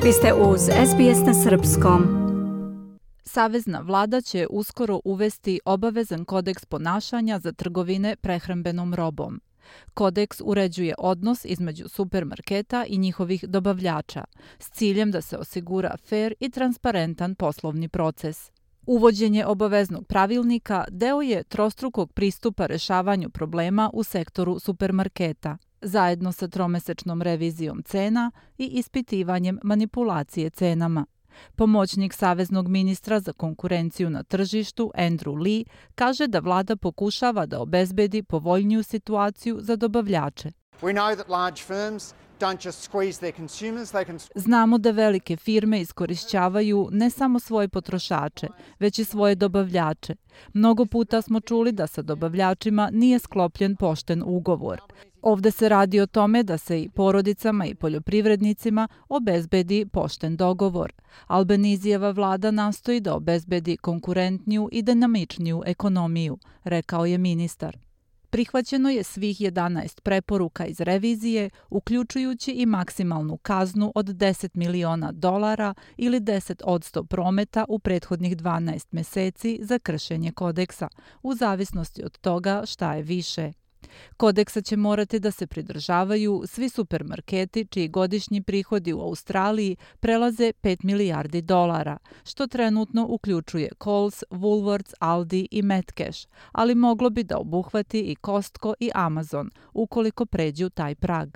Vi ste uz SBS na srpskom. Savezna vlada će uskoro uvesti obavezan kodeks ponašanja za trgovine prehrambenom robom. Kodeks uređuje odnos između supermarketa i njihovih dobavljača s ciljem da se osigura fer i transparentan poslovni proces. Uvođenje obaveznog pravilnika deo je trostrukog pristupa rešavanju problema u sektoru supermarketa, zajedno sa tromesečnom revizijom cena i ispitivanjem manipulacije cenama. Pomoćnik saveznog ministra za konkurenciju na tržištu Andrew Lee kaže da vlada pokušava da obezbedi povoljniju situaciju za dobavljače. Znamo da velike firme iskorišćavaju ne samo svoje potrošače, već i svoje dobavljače. Mnogo puta smo čuli da sa dobavljačima nije sklopljen pošten ugovor. Ovde se radi o tome da se i porodicama i poljoprivrednicima obezbedi pošten dogovor. Albanizijeva vlada nastoji da obezbedi konkurentniju i dinamičniju ekonomiju, rekao je ministar. Prihvaćeno je svih 11 preporuka iz revizije, uključujući i maksimalnu kaznu od $10 miliona ili 10% prometa u prethodnih 12 meseci za kršenje kodeksa, u zavisnosti od toga šta je više. Kodeksa će morati da se pridržavaju svi supermarketi čiji godišnji prihodi u Australiji prelaze $5 milijardi, što trenutno uključuje Coles, Woolworths, Aldi i Metcash, ali moglo bi da obuhvati i Costco i Amazon ukoliko pređu taj prag.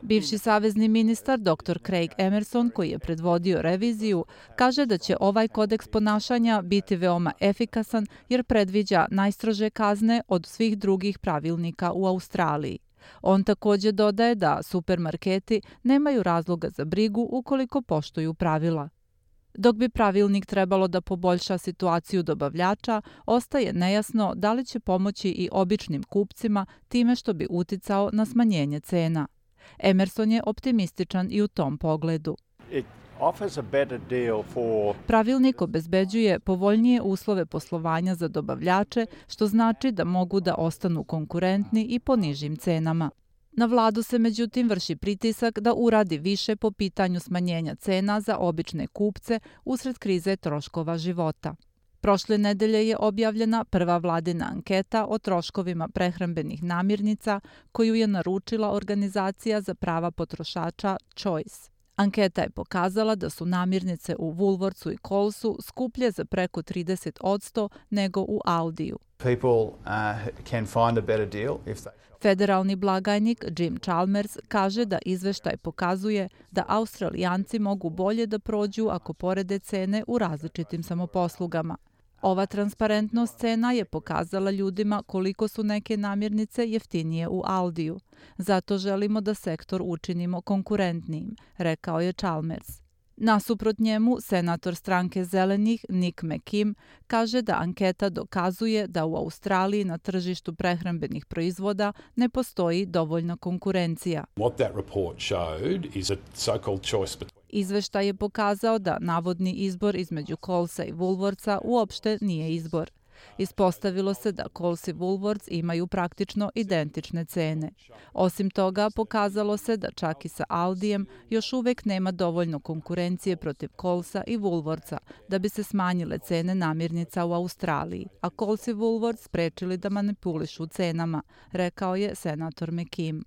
Bivši savezni ministar dr. Craig Emerson, koji je predvodio reviziju, kaže da će ovaj kodeks ponašanja biti veoma efikasan jer predviđa najstrože kazne od svih drugih pravilnika u Australiji. On takođe dodaje da supermarketi nemaju razloga za brigu ukoliko poštuju pravila. Dok bi pravilnik trebalo da poboljša situaciju dobavljača, ostaje nejasno da li će pomoći i običnim kupcima time što bi uticao na smanjenje cena. Emerson je optimističan i u tom pogledu. Pravilnik obezbeđuje povoljnije uslove poslovanja za dobavljače, što znači da mogu da ostanu konkurentni i po nižim cenama. Na vladu se međutim vrši pritisak da uradi više po pitanju smanjenja cena za obične kupce usred krize troškova života. Prošle nedelje je objavljena prva vladina anketa o troškovima prehrambenih namirnica koju je naručila organizacija za prava potrošača Choice. Anketa je pokazala da su namirnice u Woolworthsu i Colesu skuplje za preko 30% nego u Aldiju. Federalni blagajnik Jim Chalmers kaže da izveštaj pokazuje da Australijanci mogu bolje da prođu ako porede cene u različitim samoposlugama. Ova transparentnost cena je pokazala ljudima koliko su neke namirnice jeftinije u Aldiju. Zato želimo da sektor učinimo konkurentnijim, rekao je Chalmers. Nasuprot njemu, senator stranke Zelenih Nick McKim kaže da anketa dokazuje da u Australiji na tržištu prehrambenih proizvoda ne postoji dovoljna konkurencija. Izveštaj je pokazao da navodni izbor između Colesa i Woolworthsa uopšte nije izbor. Ispostavilo se da Coles i Woolworths imaju praktično identične cene. Osim toga, pokazalo se da čak i sa Aldijem još uvek nema dovoljno konkurencije protiv Colesa i Woolworthsa da bi se smanjile cene namirnica u Australiji, a Coles i Woolworths sprečili da manipulišu cenama, rekao je senator McKim.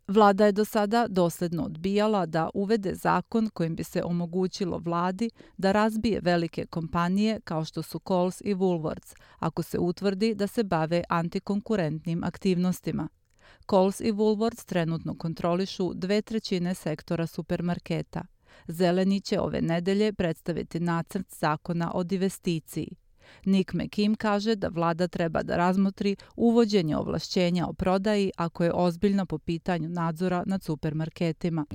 Vlada je do sada dosledno odbijala da uvede zakon kojim bi se omogućilo vladi da razbije velike kompanije kao što su Coles i Woolworths, ako se utvrdi da se bave antikonkurentnim aktivnostima. Coles i Woolworths trenutno kontrolišu 2/3 sektora supermarketa. Zeleni će ove nedelje predstaviti nacrt zakona o divesticiji. Nick McKim kaže da vlada treba da razmotri uvođenje ovlašćenja o prodaji ako je ozbiljna po pitanju nadzora nad supermarketima.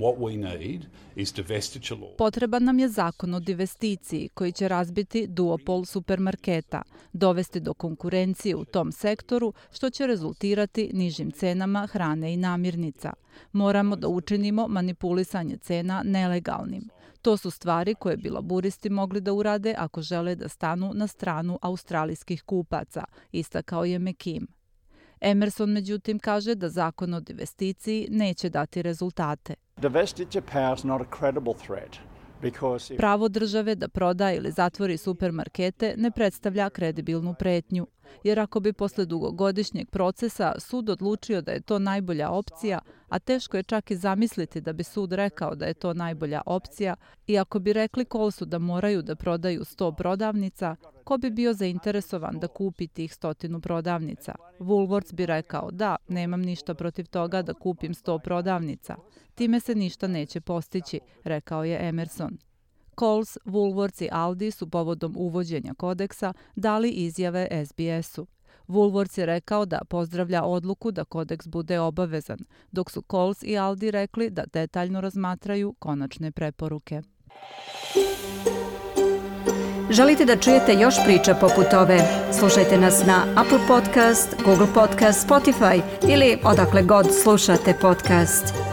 Potreban nam je zakon o divesticiji koji će razbiti duopol supermarketa, dovesti do konkurencije u tom sektoru što će rezultirati nižim cenama hrane i namirnica. Moramo da učinimo manipulisanje cena nelegalnim. To su stvari koje bi laburisti mogli da urade ako žele da stanu na stranu australijskih kupaca, istakao je McKim. Emerson međutim kaže da zakon o divesticiji neće dati rezultate. Pravo države da proda ili zatvori supermarkete ne predstavlja kredibilnu pretnju, jer ako bi posle dugogodišnjeg procesa sud odlučio da je to najbolja opcija, a teško je čak i zamisliti da bi sud rekao da je to najbolja opcija, i ako bi rekli Kohlsu da moraju da prodaju 100 prodavnica, ko bi bio zainteresovan da kupi tih 100 prodavnica? Woolworths bi rekao da, nemam ništa protiv toga da kupim 100 prodavnica. Time se ništa neće postići, rekao je Emerson. Coles, Woolworths i Aldi su povodom uvođenja kodeksa dali izjave SBS-u. Woolworths je rekao da pozdravlja odluku da kodeks bude obavezan, dok su Coles i Aldi rekli da detaljno razmatraju konačne preporuke. Želite da čujete još priča poput ove? Slušajte nas na Apple Podcast, Google Podcast, Spotify ili odakle god slušate podcast.